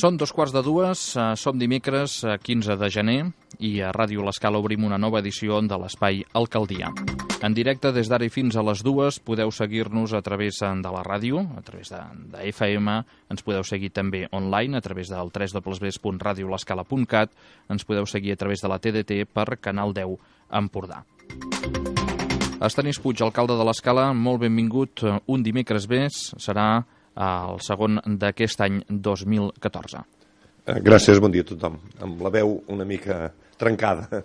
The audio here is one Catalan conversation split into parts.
Són 2:15, som dimecres 15 de gener i a Ràdio L'Escala obrim una nova edició de l'Espai Alcaldia. En directe des d'ara i fins a les 2 podeu seguir-nos a través de la ràdio, a través de FM, ens podeu seguir també online a través del www.radiolescala.cat, ens podeu seguir a través de la TDT per Canal 10 Empordà. Estanis Puig, alcalde de l'Escala, molt benvingut. Un dimecres més serà el segon d'aquest any 2014. Gràcies, bon dia a tothom. Amb la veu una mica trencada.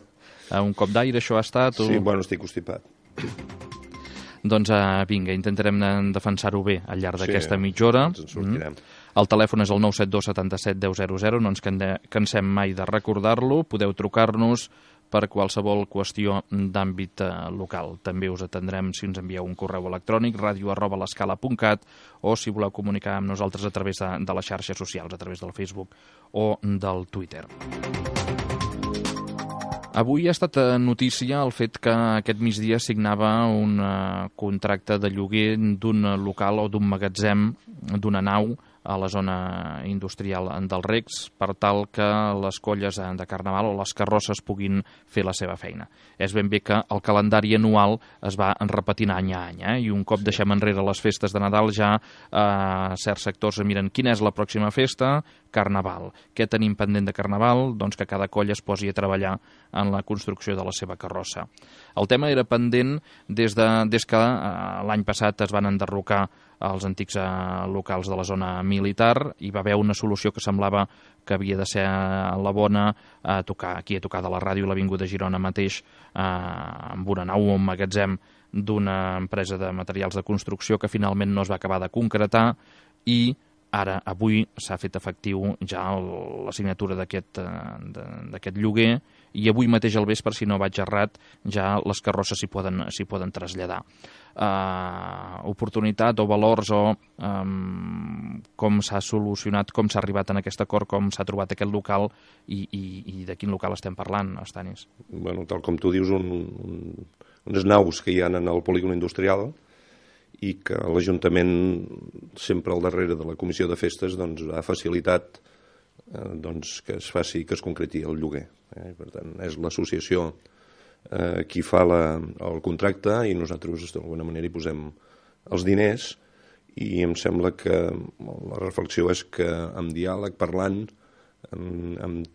Un cop d'aire això ha estat? Sí, bueno, estic constipat. Doncs vinga, intentarem defensar-ho bé al llarg d'aquesta mitja hora. Ens en sortirem. El telèfon és el 972 77 10 00, no ens cansem mai de recordar-lo. Podeu trucar-nos per qualsevol qüestió d'àmbit local. També us atendrem si ens envieu un correu electrònic, radio@l'escala.cat, o si voleu comunicar amb nosaltres a través de les xarxes socials, a través del Facebook o del Twitter. Avui ha estat notícia el fet que aquest migdia signava un contracte de lloguer d'un local o d'un magatzem, d'una nau, a la zona industrial dels Recs, per tal que les colles de Carnaval o les carrosses puguin fer la seva feina. És ben bé que el calendari anual es va repetint any a any, i un cop deixem enrere les festes de Nadal ja certs sectors miren quina és la pròxima festa, Carnaval. Què tenim pendent de Carnaval? Doncs que cada colla es posi a treballar en la construcció de la seva carrossa. El tema era pendent des que l'any passat es van enderrocar els antics locals de la zona militar. Hi va haver una solució que semblava que havia de ser la bona, aquí a tocar de la ràdio, a l'Avinguda de Girona mateix, amb una nau o un magatzem d'una empresa de materials de construcció que finalment no es va acabar de concretar, i ara, avui, s'ha fet efectiu ja la signatura d'aquest lloguer, i avui mateix al vespre, si no vaig errat, ja les carrosses s'hi poden traslladar. Oportunitat o valors o com s'ha solucionat, com s'ha arribat en aquest acord, com s'ha trobat aquest local i de quin local estem parlant, Estanis? Bueno, tal com tu dius, unes naus que hi ha en el polígon industrial i que l'Ajuntament, sempre al darrere de la Comissió de Festes, ha facilitat que es concreti el lloguer. Per tant, és l'associació qui fa el contracte i nosaltres d'alguna manera hi posem els diners, i em sembla que la reflexió és que amb diàleg, parlant, amb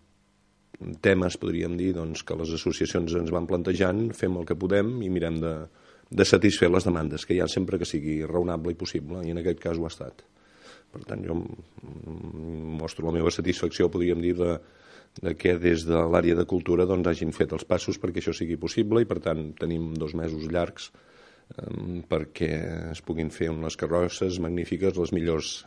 temes, podríem dir, que les associacions ens van plantejant, fem el que podem i mirem de satisfer les demandes, que hi ha sempre que sigui raonable i possible, i en aquest cas ho ha estat. Per tant, jo mostro la meva satisfacció, podríem dir, de que des de l'àrea de cultura hagin fet els passos perquè això sigui possible, i per tant tenim 2 mesos llargs perquè es puguin fer unes carrosses magnífiques, les millors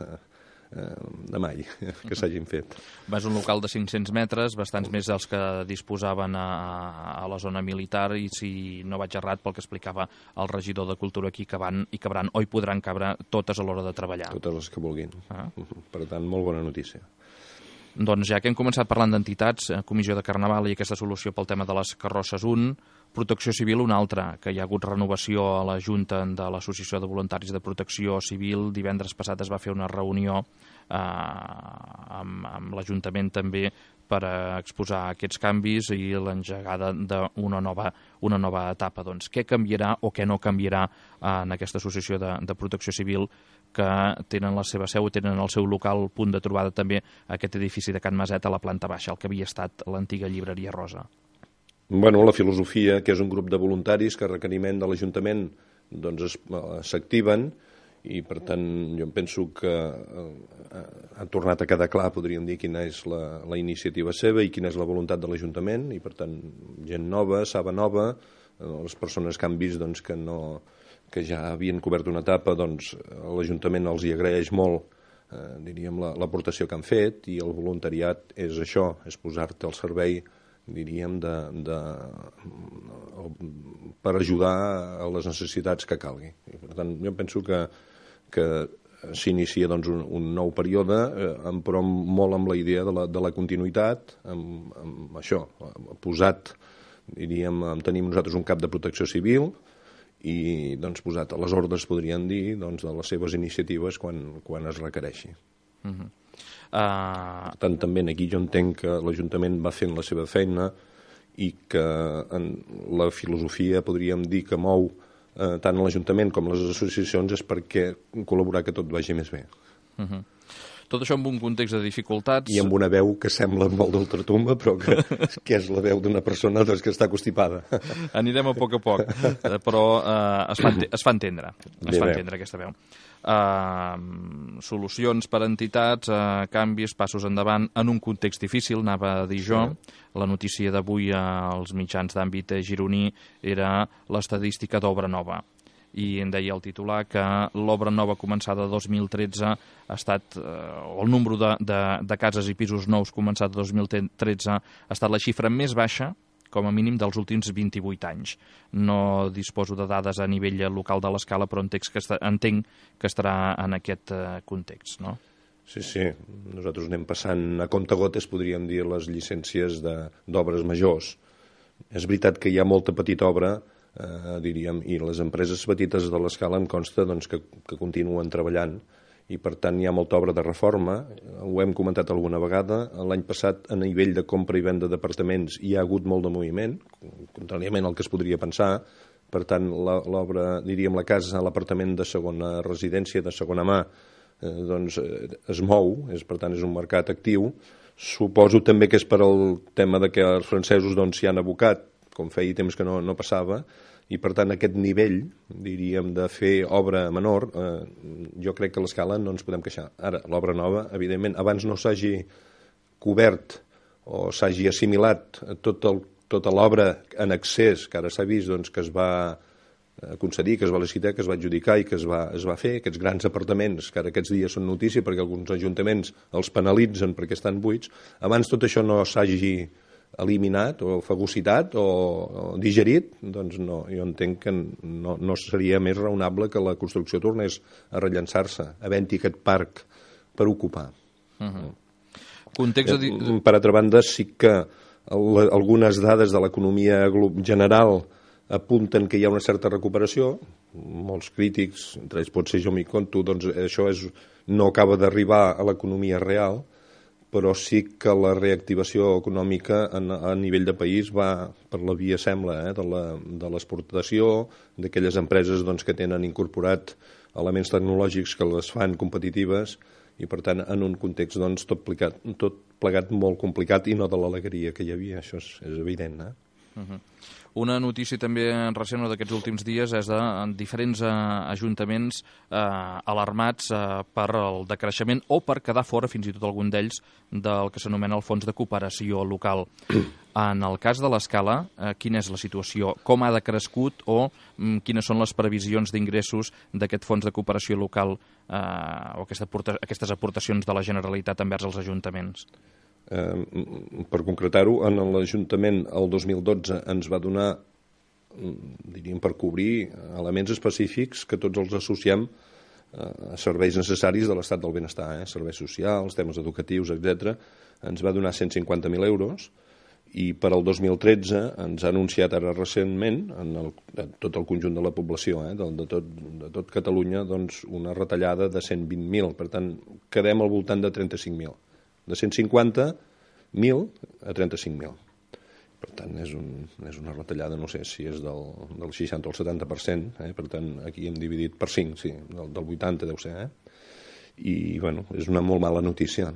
de mai que s'hagin fet. És un local de 500 metres, bastants més dels que disposaven a la zona militar, i si no vaig errat pel que explicava el regidor de Cultura, aquí cabran o hi podran cabre totes a l'hora de treballar. Totes les que vulguin. Per tant, molt bona notícia. Doncs ja que hem començat parlant d'entitats, Comissió de Carnaval i aquesta solució pel tema de les carrosses, Protecció Civil, un altre, que hi ha hagut renovació a la Junta de l'Associació de Voluntaris de Protecció Civil. Divendres passat es va fer una reunió amb l'Ajuntament també per exposar aquests canvis i l'engegada d'una nova etapa. Doncs què canviarà o què no canviarà en aquesta associació de Protecció Civil, que tenen la seva seu, tenen el seu local, punt de trobada també, aquest edifici de Can Maset a la planta baixa, el que havia estat l'antiga llibreria Rosa? Bueno, la filosofia, que és un grup de voluntaris que a requeriment de l'Ajuntament s'activen, i per tant jo penso que ha tornat a quedar clar, podríem dir, quina és la iniciativa seva i quina és la voluntat de l'Ajuntament, i per tant gent nova, saba nova, les persones que han vist que ja havien cobert una etapa, l'Ajuntament els hi agraeix molt, diríem, l'aportació que han fet, i el voluntariat és això, és posar-te al servei, diríem, per ajudar a les necessitats que calgui. I per tant, jo penso que s'inicia un nou període, però molt amb la idea de la continuïtat, amb això, posat, diríem, tenim nosaltres un cap de protecció civil, i posat a les ordres, podríem dir, de les seves iniciatives quan es requereixi. Per tant, també aquí jo entenc que l'Ajuntament va fent la seva feina i que en la filosofia, podríem dir, que mou tant l'Ajuntament com les associacions és perquè col·laborar que tot vagi més bé. Tot això amb un context de dificultats... I amb una veu que sembla molt d'ultratumba, però que és la veu d'una persona que està constipada. Anirem a poc, però es fa entendre. Es fa entendre aquesta veu. Solucions per a entitats, canvis, passos endavant, en un context difícil, anava a dir jo. La notícia d'avui als mitjans d'àmbit gironí era l'estadística d'obra nova. I em deia el titular que l'obra nova començada 2013 ha estat, o el número de cases i pisos nous començat 2013 ha estat la xifra més baixa, com a mínim, dels últims 28 anys. No disposo de dades a nivell local de l'Escala, però entenc que estarà en aquest context, no? Sí. Nosaltres anem passant a comptagotes, podríem dir, les llicències d'obres majors. És veritat que hi ha molta petita obra, diríem, i les empreses petites de l'Escala em consta que continuen treballant i per tant hi ha molta obra de reforma, ho hem comentat alguna vegada. L'any passat a nivell de compra i venda d'apartaments hi ha hagut molt de moviment, contràriament al que es podria pensar. Per tant, l'obra, diríem, la casa, l'apartament de segona residència, de segona mà, es mou, per tant és un mercat actiu. Suposo també que és per al tema de que els francesos s'hi han abocat, com feia temps que no passava, i per tant aquest nivell, diríem, de fer obra menor, jo crec que a l'Escala no ens podem queixar. Ara, l'obra nova, evidentment, abans no s'hagi cobert o s'hagi assimilat tota l'obra en excés que ara s'ha vist que es va concedir, que es va licitar, que es va adjudicar i que es va fer, aquests grans apartaments que ara aquests dies són notícia perquè alguns ajuntaments els penalitzen perquè estan buits. Abans tot això no s'hagi eliminat o fagocitat o digerit, doncs no, jo entenc que no seria més raonable que la construcció tornés a rellançar-se, havent-hi aquest parc per ocupar. Per altra banda, sí que algunes dades de l'economia general apunten que hi ha una certa recuperació. Molts crítics, entre ells potser jo m'hi compto, doncs això no acaba d'arribar a l'economia real, però sí que la reactivació econòmica a nivell de país va per la via, sembla, de l'exportació, d'aquelles empreses que tenen incorporat elements tecnològics que les fan competitives i, per tant, en un context tot plegat molt complicat i no de l'alegria que hi havia, això és evident. Una notícia també recent d'aquests últims dies és de diferents ajuntaments alarmats per el decreixement o per quedar fora, fins i tot algun d'ells, del que s'anomena el Fons de Cooperació Local. En el cas de l'Escala, quina és la situació? Com ha decrescut o quines són les previsions d'ingressos d'aquest Fons de Cooperació Local o aquestes aportacions de la Generalitat envers els ajuntaments? Per concretar-ho, en l'Ajuntament el 2012 ens va donar, diríem, per cobrir elements específics que tots els associem a serveis necessaris de l'estat del benestar, serveis socials, temes educatius, etc. Ens va donar 150.000 euros i per al 2013 ens ha anunciat ara recentment, en tot el conjunt de la població, de tot Catalunya, una retallada de 120.000. Per tant, quedem al voltant de 35.000. De 150.000 a 35.000. Per tant, és una retallada, no sé si és del 60 o el 70%, per tant, aquí hem dividit per 5, sí, del 80 deu ser, I, bueno, és una molt mala notícia,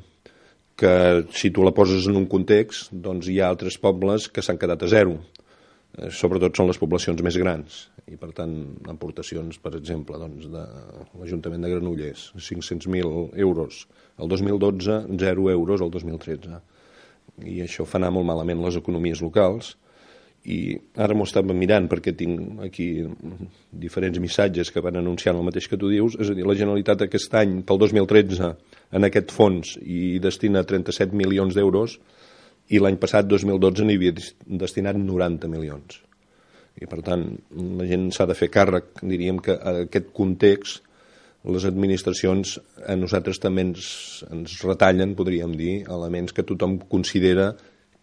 que si tu la poses en un context, doncs hi ha altres pobles que s'han quedat a zero, sobretot són les poblacions més grans, i per tant, aportacions, per exemple, de l'Ajuntament de Granollers, 500.000 euros el 2012, 0 euros el 2013. I això fa anar molt malament les economies locals. I ara m'ho estava mirant perquè tinc aquí diferents missatges que van anunciant el mateix que tu dius. És a dir, la Generalitat aquest any, pel 2013, en aquest fons hi destina 37 milions d'euros i l'any passat, 2012, n'hi havia destinat 90 milions. I, per tant, la gent s'ha de fer càrrec, diríem que a aquest context les administracions a nosaltres també ens retallen, podríem dir, elements que tothom considera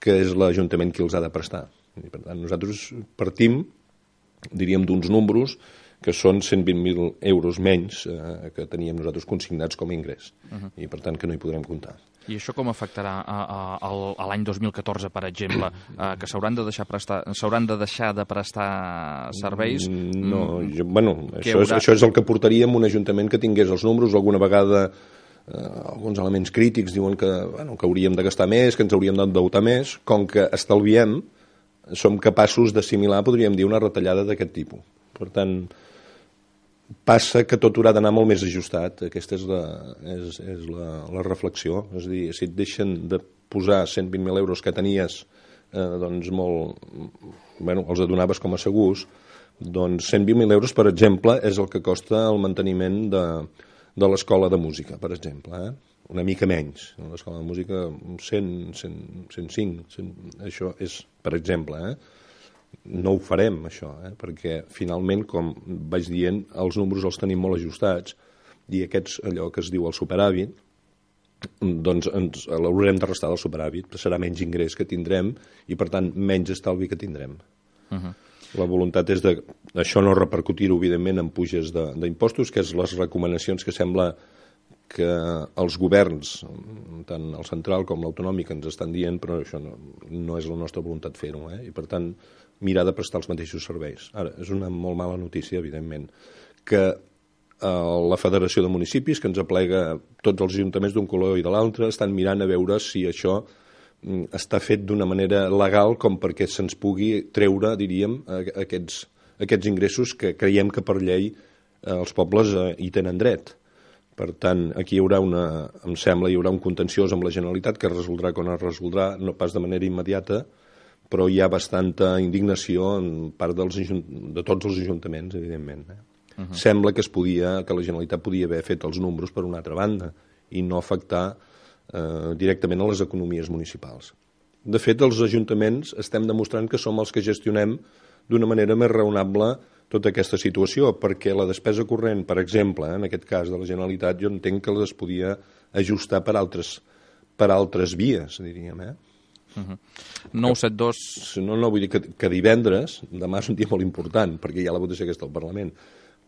que és l'Ajuntament qui els ha de prestar. I, per tant, nosaltres partim, diríem, d'uns números que són 120.000 euros menys que teníem nosaltres consignats com a ingrés, i per tant que no hi podrem comptar. I això com afectarà a l'any 2014, per exemple, que s'hauran de deixar de prestar serveis? No, això és el que portaria un ajuntament que tingués els números. Alguna vegada alguns elements crítics diuen que hauríem de gastar més, que ens hauríem d'endeutar més. Com que estalviem, som capaços d'assimilar, podríem dir, una retallada d'aquest tipus. Per tant, passa que tot haurà d'anar molt més ajustat. Aquesta és la reflexió. És a dir, si et deixen de posar 120.000 euros que tenies, doncs els adonaves com a segurs, doncs 120.000 euros, per exemple, és el que costa el manteniment de l'escola de música, per exemple. Una mica menys. L'escola de música, 100, 105, 100, això és, per exemple, no ho farem, això, perquè finalment, com vaig dient, els números els tenim molt ajustats i aquests, allò que es diu el superàvit, doncs l'haurem de restar del superàvit, serà menys ingrés que tindrem i, per tant, menys estalvi que tindrem. La voluntat és això no repercutir-ho, evidentment, en puges d'impostos, que és les recomanacions que sembla que els governs, tant el central com l'autonòmic, ens estan dient, però això no és la nostra voluntat fer-ho, i per tant mirar de prestar els mateixos serveis. Ara, és una molt mala notícia, evidentment, que la Federació de Municipis, que ens aplega tots els ajuntaments d'un color i de l'altre, estan mirant a veure si això està fet d'una manera legal com perquè se'ns pugui treure, diríem, aquests ingressos que creiem que per llei els pobles hi tenen dret. Per tant, aquí hi haurà em sembla, hi haurà un contenciós amb la Generalitat que es resoldrà quan es resoldrà, no pas de manera immediata, però hi ha bastanta indignació en part de tots els ajuntaments, evidentment. Sembla que la Generalitat podia haver fet els números per una altra banda i no afectar directament a les economies municipals. De fet, els ajuntaments estem demostrant que som els que gestionem d'una manera més raonable tota aquesta situació, perquè la despesa corrent, per exemple, en aquest cas de la Generalitat, jo entenc que les podia ajustar per altres vies, diríem, 972... No, vull dir que divendres, demà és un dia molt important, perquè hi ha la votació aquesta al Parlament,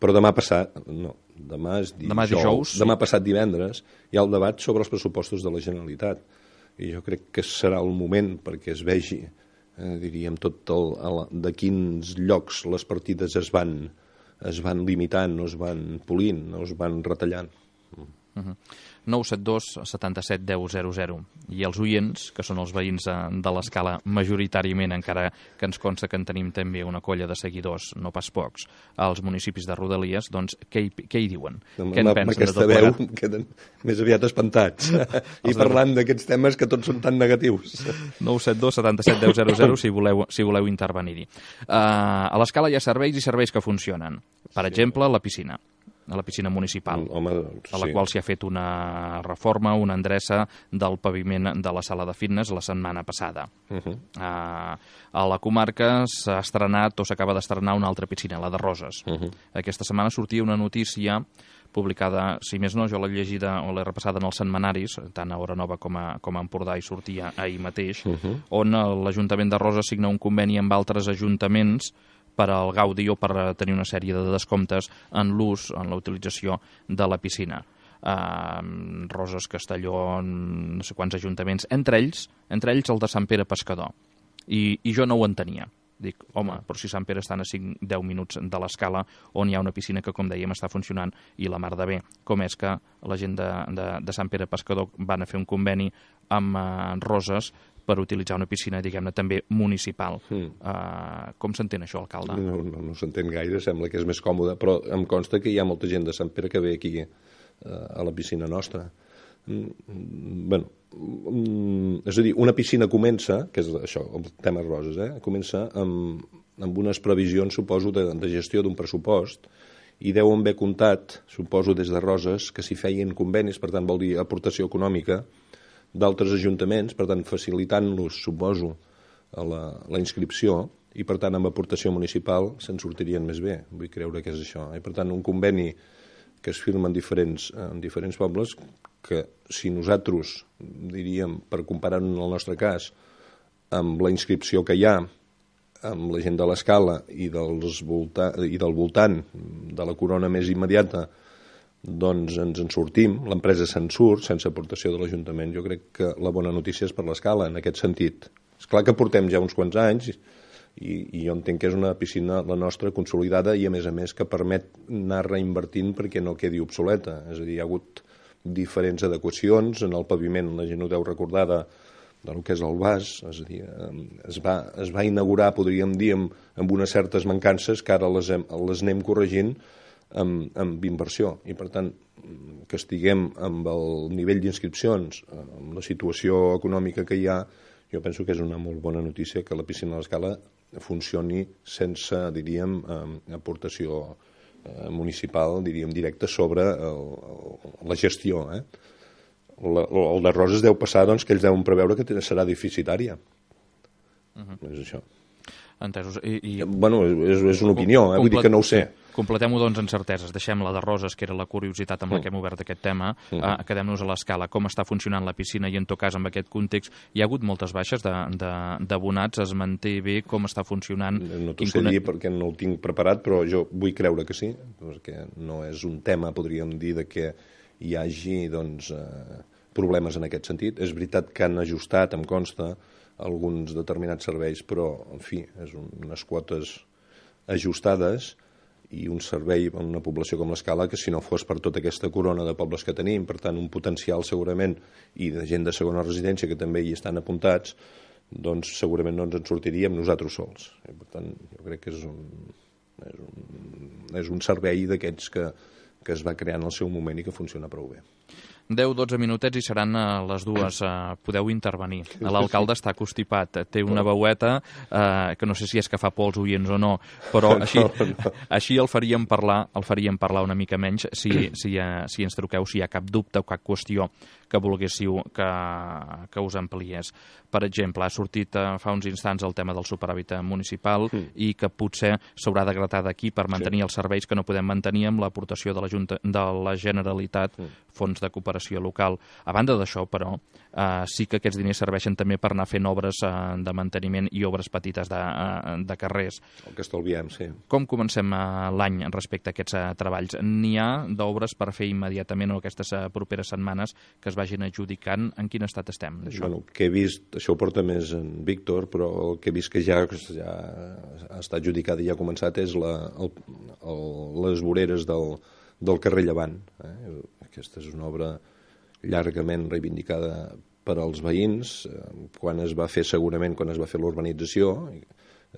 però demà passat, no, demà és dijous, demà passat divendres, hi ha el debat sobre els pressupostos de la Generalitat, i jo crec que serà el moment perquè es vegi, diríem, de quins llocs les partides es van limitant, no es van polint, no es van retallant. 972 77 10 00. I els oients, que són els veïns de l'Escala majoritàriament, encara que ens consta que en tenim també una colla de seguidors, no pas pocs, als municipis de Rodalies, doncs què hi diuen? Què en pensen de tot plegat? Queden més aviat espantats i parlant d'aquests temes que tots són tan negatius. 972 77 10 00 si voleu intervenir-hi. A l'Escala hi ha serveis i serveis que funcionen. Per exemple, la piscina municipal, a la qual s'hi ha fet una reforma, una endreça del paviment de la sala de fitness la setmana passada. A la comarca s'ha estrenat o s'acaba d'estrenar una altra piscina, la de Roses. Aquesta setmana sortia una notícia publicada, si més no, jo l'he llegida o l'he repassada en els setmanaris, tant a Hora Nova com a Empordà, i sortia ahir mateix, on l'Ajuntament de Roses signa un conveni amb altres ajuntaments per al gaudi o per tenir una sèrie de descomptes en l'ús, en la utilització de la piscina. Roses, Castelló, no sé quants ajuntaments, entre ells el de Sant Pere Pescador. I jo no ho entenia. Dic, home, però si Sant Pere estan a 5-10 minuts de l'Escala, on hi ha una piscina que, com dèiem, està funcionant i la mar de bé. Com és que la gent de Sant Pere Pescador van a fer un conveni amb Roses per utilitzar una piscina, diguem-ne, també municipal. Com s'entén això, alcalde? No s'entén gaire, sembla que és més còmode, però em consta que hi ha molta gent de Sant Pere que ve aquí a la piscina nostra. És a dir, una piscina comença, que és això, el tema Roses, comença amb unes previsions, suposo, de gestió d'un pressupost, i deuen haver comptat, suposo, des de Roses, que s'hi feien convenis, per tant vol dir aportació econòmica, d'altres ajuntaments, per tant facilitant-los, suposo, la inscripció, i per tant amb aportació municipal se'n sortirien més bé. Vull creure que és això. I per tant un conveni que es firma en diferents pobles, que si nosaltres, diríem, per comparar en el nostre cas, amb la inscripció que hi ha, amb la gent de l'Escala i del voltant de la corona més immediata, doncs ens en sortim, l'empresa se'n surt sense aportació de l'Ajuntament. Jo crec que la bona notícia és per l'Escala, en aquest sentit. És clar que portem ja uns quants anys i jo entenc que és una piscina, la nostra, consolidada i, a més, que permet anar reinvertint perquè no quedi obsoleta. És a dir, hi ha hagut diferents adequacions en el paviment, la gent ho deu recordar, del que és el vas, és a dir, es va inaugurar, podríem dir, amb unes certes mancances que ara les anem corregint amb inversió. I, per tant, que estiguem amb el nivell d'inscripcions, amb la situació econòmica que hi ha, jo penso que és una molt bona notícia que la piscina de l'Escala funcioni sense, diríem, aportació municipal, diríem, directa sobre la gestió, El de Roses deu passar, doncs, que ells deuen preveure que serà deficitària. És això. Entesos. Bueno, és una opinió, vull dir que no ho sé. Completem-ho, doncs, en certeses. Deixem la de Roses, que era la curiositat amb la que hem obert aquest tema. Quedem-nos a l'Escala. Com està funcionant la piscina i, en tot cas, amb aquest context, hi ha hagut moltes baixes d'abonats? Es manté bé? Com està funcionant? No t'ho sé dir perquè no ho tinc preparat, però jo vull creure que sí, perquè no és un tema, podríem dir, de que hi hagi, doncs, problemes en aquest sentit. És veritat que han ajustat, em consta, alguns determinats serveis, però, en fi, és unes quotes ajustades i un servei a una població com l'Escala que, si no fos per tota aquesta corona de pobles que tenim, per tant, un potencial segurament, i de gent de segona residència que també hi estan apuntats, doncs segurament no ens en sortiríem nosaltres sols. I, per tant, jo crec que és un servei d'aquests que es va crear en el seu moment i que funciona prou bé. 10-12 minutets i seran les dues. Podeu intervenir. L'alcalde està constipat, té una veueta que no sé si és que fa por als oients o no, però així el faríem parlar una mica menys si ens truqueu, si hi ha cap dubte o cap qüestió que volguéssiu que us ampliés. Per exemple, ha sortit fa uns instants el tema del superàvit municipal i que potser s'haurà de gratar d'aquí per mantenir els serveis que no podem mantenir amb l'aportació de la Generalitat, fons de cooperació local. A banda d'això, però, sí que aquests diners serveixen també per anar fent obres de manteniment i obres petites de carrers. El que estalviem, sí. Com comencem l'any respecte a aquests treballs? N'hi ha d'obres per fer immediatament o aquestes properes setmanes que es vagin adjudicant? En quin estat estem d'això? Bueno, que he vist, això ho porta més en Víctor, però el que he vist que ja està adjudicat i ja ha començat és les voreres del carrer Llevant. Aquesta és una obra llargament reivindicada per als veïns. Quan es va fer l'urbanització,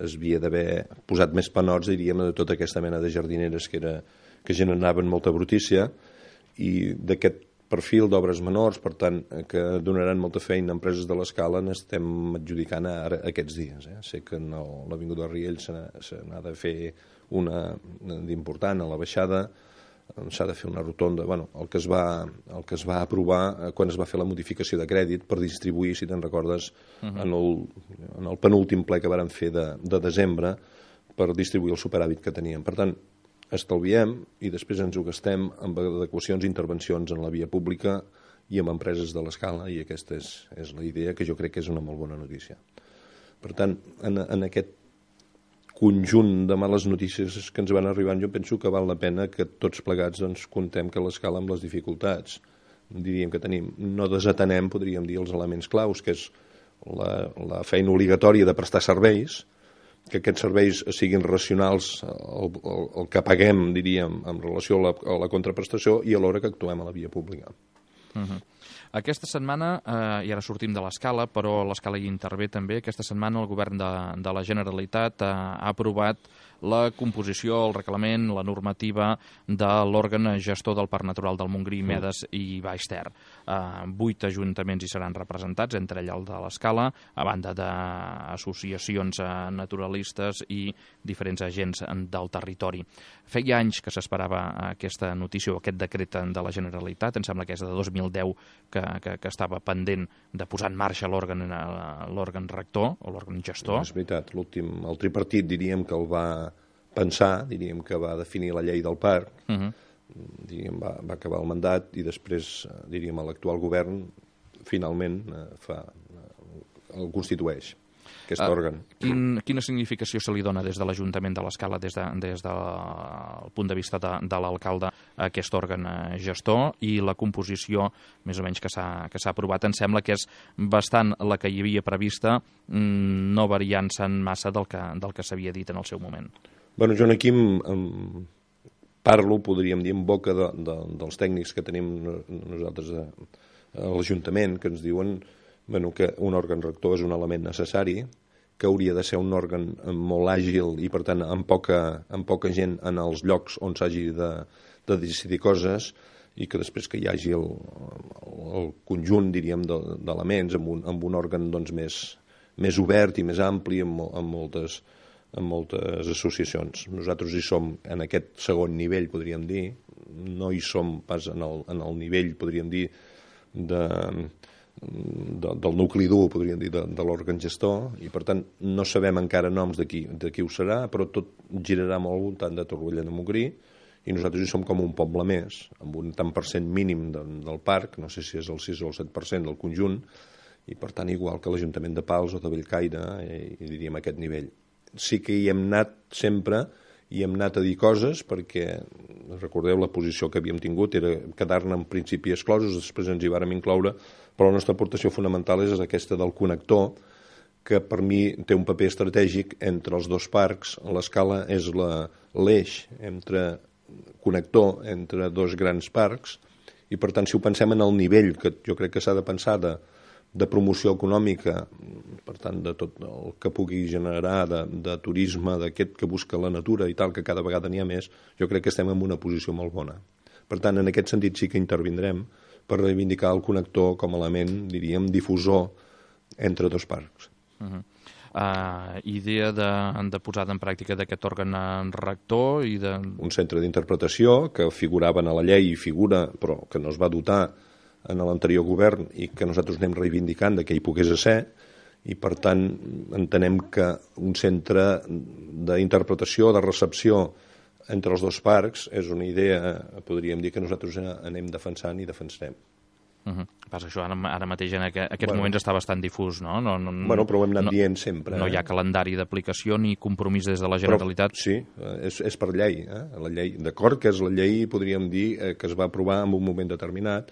es havia d'haver posat més panots, diríem, de tota aquesta mena de jardineres que generaven molta brutícia, i d'aquest perfil d'obres menors, per tant, que donaran molta feina a empreses de l'Escala, n'estem adjudicant ara aquests dies. Sé que en l'Avinguda de Riells se n'ha de fer una d'important a la baixada, s'ha de fer una rotonda. Bueno, el que es va aprovar quan es va fer la modificació de crèdit per distribuir, si te'n recordes, en el penúltim ple que vàrem fer de desembre, per distribuir el superàvit que teníem. Per tant, estalviem i després ens ho gastem amb adequacions i intervencions en la via pública i amb empreses de l'Escala, i aquesta és la idea, que jo crec que és una molt bona notícia. Per tant, en aquest conjunt de males notícies que ens van arribant, jo penso que val la pena que tots plegats contem que l'Escala, amb les dificultats diríem que tenim, no desatenem, podríem dir, els elements claus, que és la feina obligatòria de prestar serveis, que aquests serveis siguin racionals, el que paguem, diríem, en relació a la contraprestació, i alhora que actuem a la via pública. Aquesta setmana, i ara sortim de l'Escala, però l'Escala hi intervé també, aquesta setmana el govern de la Generalitat ha aprovat la composició, el reglament, la normativa de l'òrgan gestor del Parc Natural del Montgrí, Medes i Baix Ter. 8 ajuntaments hi seran representats, entre ells el de l'Escala, a banda d'associacions naturalistes i diferents agents del territori. Feia anys que s'esperava aquesta notícia o aquest decret de la Generalitat, em sembla que és de 2010 que estava pendent de posar en marxa l'òrgan rector o l'òrgan gestor. És veritat, el tripartit diríem que el va pensar, diríem que va definir la llei del parc, diríem, va acabar el mandat i després, diríem, l'actual govern finalment el constitueix. aquest òrgan. Quina significació se li dona des de l'Ajuntament de l'Escala, des del punt de vista de l'alcalde, a aquest òrgan gestor, i la composició, més o menys, que s'ha aprovat? Em sembla que és bastant la que hi havia prevista, no variant-se'n massa del que s'havia dit en el seu moment. Bueno, jo aquí parlo, podríem dir, en boca dels tècnics que tenim nosaltres a l'Ajuntament, que ens diuen que un òrgan rector és un element necessari, que hauria de ser un òrgan molt àgil i, per tant, amb poca gent en els llocs on s'hagi de decidir coses, i que després que hi hagi el conjunt, diríem, d'elements amb un òrgan més obert i més ampli, amb moltes associacions. Nosaltres hi som en aquest segon nivell, podríem dir, no hi som pas en el nivell, podríem dir, del nucli dur, podríem dir, de l'òrgan gestor, i per tant no sabem encara noms de qui ho serà, però tot girarà molt al voltant de Torroella de Montgrí, i nosaltres hi som com un poble més, amb un tant per cent mínim del parc, no sé si és el 6 o el 7% del conjunt, i per tant igual que l'Ajuntament de Pals o de Bellcaire, i diríem aquest nivell. Sí que hi hem anat sempre, i hem anat a dir coses perquè, recordeu, la posició que havíem tingut era quedar-ne en principi exclosos, després ens hi vàrem incloure, però la nostra aportació fonamental és aquesta del connector, que per mi té un paper estratègic entre els dos parcs. L'Escala és l'eix connector entre dos grans parcs, i per tant, si ho pensem en el nivell que jo crec que s'ha de pensar de promoció econòmica, per tant, de tot el que pugui generar de turisme, d'aquest que busca la natura i tal, que cada vegada n'hi ha més, jo crec que estem en una posició molt bona. Per tant, en aquest sentit sí que intervindrem per reivindicar el connector com a element, diríem, difusor entre dos parcs. Idea de posada en pràctica d'aquest òrgan rector i de... Un centre d'interpretació que figurava a la llei i figura, però que no es va dotar en l'anterior govern i que nosaltres anem reivindicant que hi pogués ser, i per tant entenem que un centre d'interpretació, de recepció entre els dos parcs és una idea, podríem dir, que nosaltres anem defensant i defensarem. Passa això, ara mateix en aquests moments està bastant difús, no? Però ho hem anat dient sempre. No hi ha calendari d'aplicació ni compromís des de la Generalitat. Però, sí, és per llei. La llei, d'acord que és la llei, podríem dir, que es va aprovar en un moment determinat,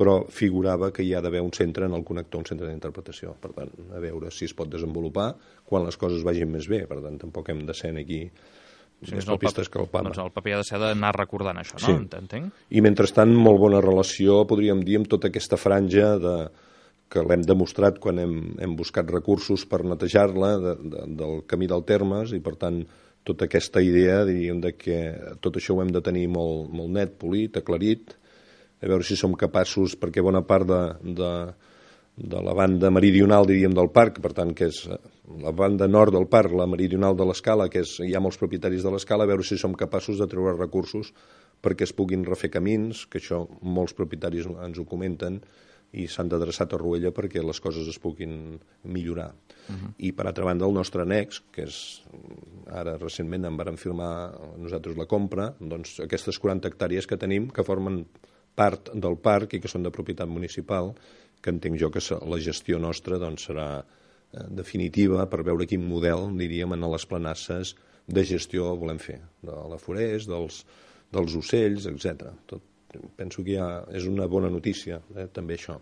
però figurava que hi ha d'haver un centre en el connector, un centre d'interpretació. Per tant, a veure si es pot desenvolupar quan les coses vagin més bé. Per tant, tampoc hem de ser aquí més papistes que el papa. Doncs el paper ha de ser d'anar recordant això, no? Sí. Entenc? I mentrestant, molt bona relació, podríem dir, amb tota aquesta franja que l'hem demostrat quan hem buscat recursos per netejar-la del camí del Termes, i per tant tota aquesta idea, diríem, de que tot això ho hem de tenir molt net, polit, aclarit, a veure si som capaços, perquè bona part de la banda meridional, diríem, del parc, per tant, que és la banda nord del parc, la meridional de l'Escala, que hi ha molts propietaris de l'Escala, a veure si som capaços de treure recursos perquè es puguin refer camins, que això molts propietaris ens ho comenten, i s'han d'adreçar a Torroella perquè les coses es puguin millorar. I, per altra banda, el nostre annex, que és, ara recentment en vàrem firmar nosaltres la compra, doncs aquestes 40 hectàrees que tenim, que formen part del parc i que són de propietat municipal, que entenc jo que la gestió nostra doncs, serà definitiva per veure quin model, diríem, en les planasses de gestió volem fer, de la forest, dels ocells, etc. Penso que és una bona notícia, també això.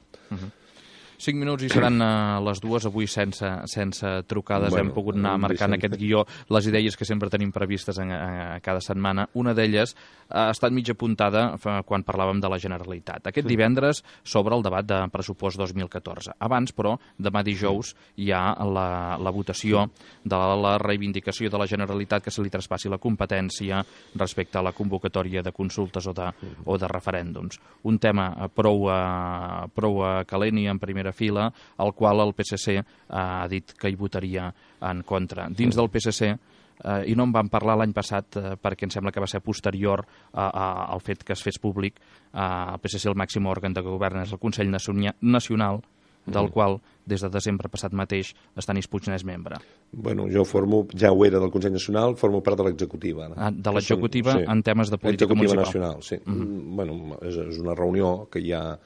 5 minuts i seran les 2, avui sense trucades. Hem pogut anar marcant aquest guió, les idees que sempre tenim previstes cada setmana. Una d'elles ha estat mig apuntada quan parlàvem de la Generalitat. Aquest divendres s'obre el debat de pressupost 2014. Abans, però, demà dijous hi ha la votació de la reivindicació de la Generalitat que se li traspassi la competència respecte a la convocatòria de consultes o de referèndums. Un tema prou calent i en primera fila, al qual el PSC ha dit que hi votaria en contra. Dins del PSC, i no en vam parlar l'any passat perquè em sembla que va ser posterior al fet que es fes públic, el PSC el màxim òrgan de govern és el Consell Nacional, del qual des de desembre passat mateix Stanis Puig n'és membre. Bueno, jo ja ho era del Consell Nacional, formo part de l'executiva. De l'executiva en temes de política municipal. Executiva nacional, sí. Bueno, és una reunió que hi ha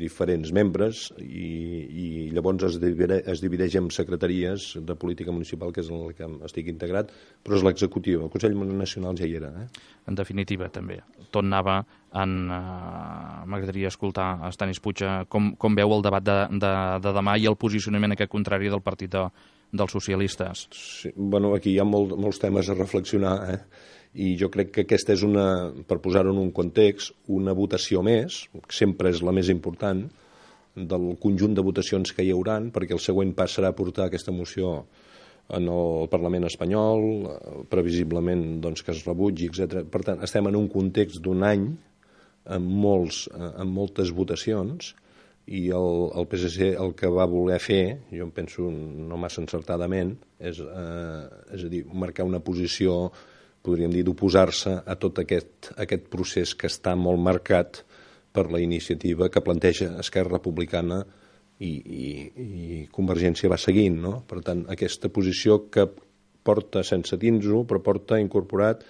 diferents membres i llavors es divideix en secretaries de política municipal, que és en el que estic integrat, però és l'executiu. El Consell Nacional ja hi era. En definitiva, també. Tot anava en... M'agradaria escoltar a Stanis Puig com veu el debat de demà i el posicionament aquest contrari del partit dels socialistes. Sí, bueno, aquí hi ha molts temes a reflexionar, i jo crec que aquesta és per posar-ho en un context, una votació més, que sempre és la més important, del conjunt de votacions que hi hauran, perquè el següent pas serà portar aquesta moció en el Parlament espanyol, previsiblement doncs, que es rebutgi, etc. Per tant, estem en un context d'un any amb moltes votacions, i el PSC el que va voler fer, jo em penso no massa encertadament, és a dir, marcar una posició, podríem dir, d'oposar-se a tot aquest procés que està molt marcat per la iniciativa que planteja Esquerra Republicana i Convergència va seguint, no? Per tant, aquesta posició que porta sense dins-ho, però porta incorporat,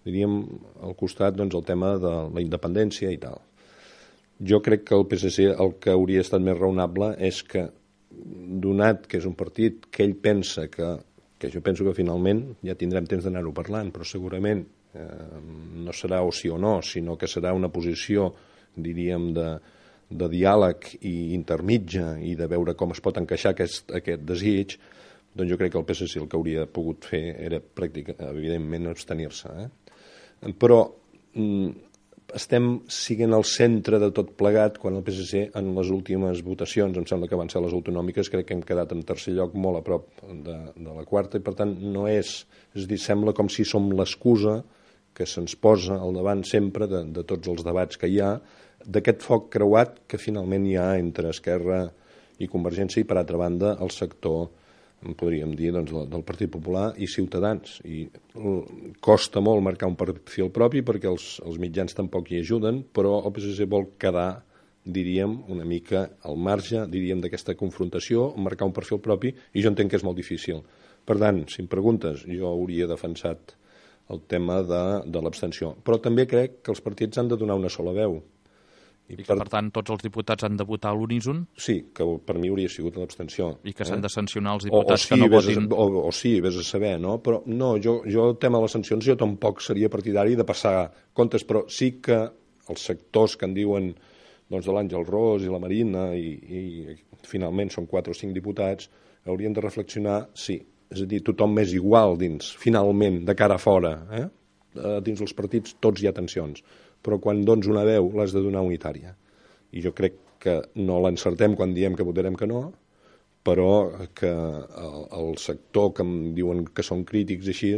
diríem, al costat doncs, el tema de la independència i tal. Jo crec que el PSC el que hauria estat més raonable és que, donat que és un partit que ell pensa que jo penso que finalment ja tindrem temps d'anar-ho parlant, però segurament no serà o sí o no, sinó que serà una posició, diríem, de diàleg i intermitja i de veure com es pot encaixar aquest desig, doncs jo crec que el PSC el que hauria pogut fer era evidentment abstenir-se. Però estem siguent al centre de tot plegat quan el PSC en les últimes votacions, em sembla que van ser les autonòmiques, crec que hem quedat en tercer lloc molt a prop de la quarta, i per tant no és a dir, sembla com si som l'excusa que se'ns posa al davant sempre de tots els debats que hi ha, d'aquest foc creuat que finalment hi ha entre Esquerra i Convergència i, per altra banda, el sector, podríem dir, doncs, del Partit Popular i Ciutadans. I costa molt marcar un perfil propi perquè els mitjans tampoc hi ajuden, però el PSC vol quedar, diríem, una mica al marge, diríem, d'aquesta confrontació, marcar un perfil propi, i jo entenc que és molt difícil. Per tant, si em preguntes, jo hauria defensat el tema de l'abstenció. Però també crec que els partits han de donar una sola veu. I que, per tant, tots els diputats han de votar a l'uníson? Sí, que per mi hauria sigut l'abstenció. I que s'han de sancionar els diputats que no votin? O sí, vés a saber, no? Però no, jo el tema de les sancions jo tampoc seria partidari de passar comptes, però sí que els sectors que en diuen doncs, de l'Àngel Ros i la Marina i finalment són 4 o 5 diputats, haurien de reflexionar, sí, és a dir, tothom és igual dins, finalment, de cara a fora, dins els partits tots hi ha tensions, però quan dones una veu l'has de donar unitària. I jo crec que no l'encertem quan diem que votarem que no, però que el sector que em diuen que són crítics així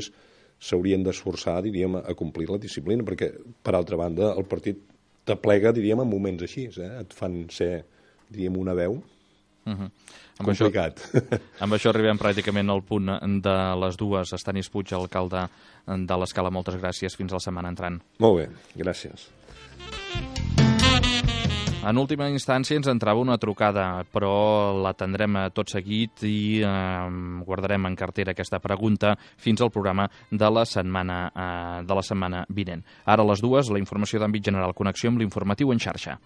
s'haurien d'esforçar, diríem, a complir la disciplina, perquè, per altra banda, el partit t'aplega, diríem, en moments així, et fan ser, diríem, una veu complicat. Amb això arribem pràcticament al punt de les dues. Stanis Puig, alcalde de l'Escala, moltes gràcies. Fins la setmana entrant. Molt bé, gràcies. En última instància ens entrava una trucada, però l'atendrem tot seguit i guardarem en cartera aquesta pregunta fins al programa de la setmana vinent. Ara a les dues, la informació d'àmbit general, connexió amb l'informatiu en xarxa.